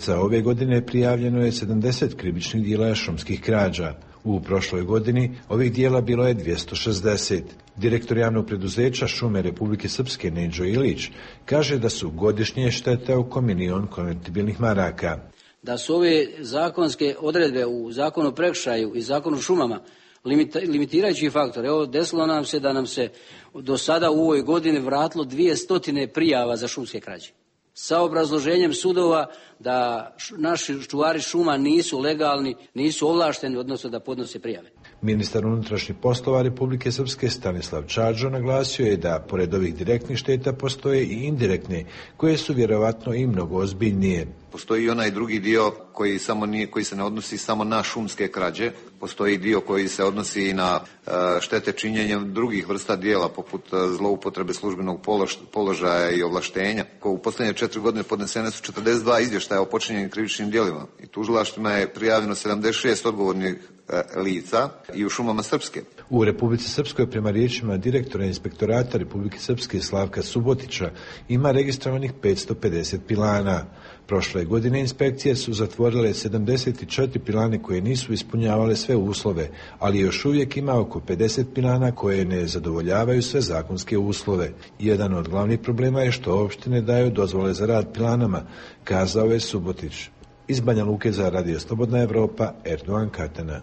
Za ove godine prijavljeno je 70 krivičnih djela šumskih krađa. U prošloj godini ovih djela bilo je 260. Direktor javnog preduzeća Šume Republike Srpske Neđo Ilić kaže da su godišnje štete oko 1.000.000 konvertibilnih maraka. Da su ove zakonske odredbe u Zakonu o prekršaju i Zakonu o šumama limitirajući faktor. Evo, desilo nam se da nam se do sada u ovoj godini vratilo 200 prijava za šumske krađe. Sa obrazloženjem sudova da naši čuvari šuma nisu legalni, nisu ovlašteni, odnosno da podnose prijave. Ministar unutrašnjih poslova Republike Srpske Stanislav Čađo naglasio je da pored ovih direktnih šteta postoje i indirektne, koje su vjerovatno i mnogo ozbiljnije. Postoji i onaj drugi dio koji se ne odnosi samo na šumske krađe, postoji dio koji se odnosi i na štete činjenjem drugih vrsta djela, poput zloupotrebe službenog položaja i ovlaštenja. U posljednje 4 godine podnesene su 42 izvještaja o počinjenim krivičnim djelima i tužilaštvima je prijavljeno 76 odgovornih lica i u šumama Srpske. U Republici Srpskoj, prema riječima direktora inspektorata Republike Srpske Slavka Subotića, ima registrovanih 550 pilana. Prošle godine inspekcije su zatvorile 74 pilane koje nisu ispunjavale sve uslove, ali još uvijek ima oko 50 pilana koje ne zadovoljavaju sve zakonske uslove. Jedan od glavnih problema je što opštine daju dozvole za rad pilanama, kazao je Subotić. Iz Banja Luke za Radio Slobodna Evropa, Erdogan Katana.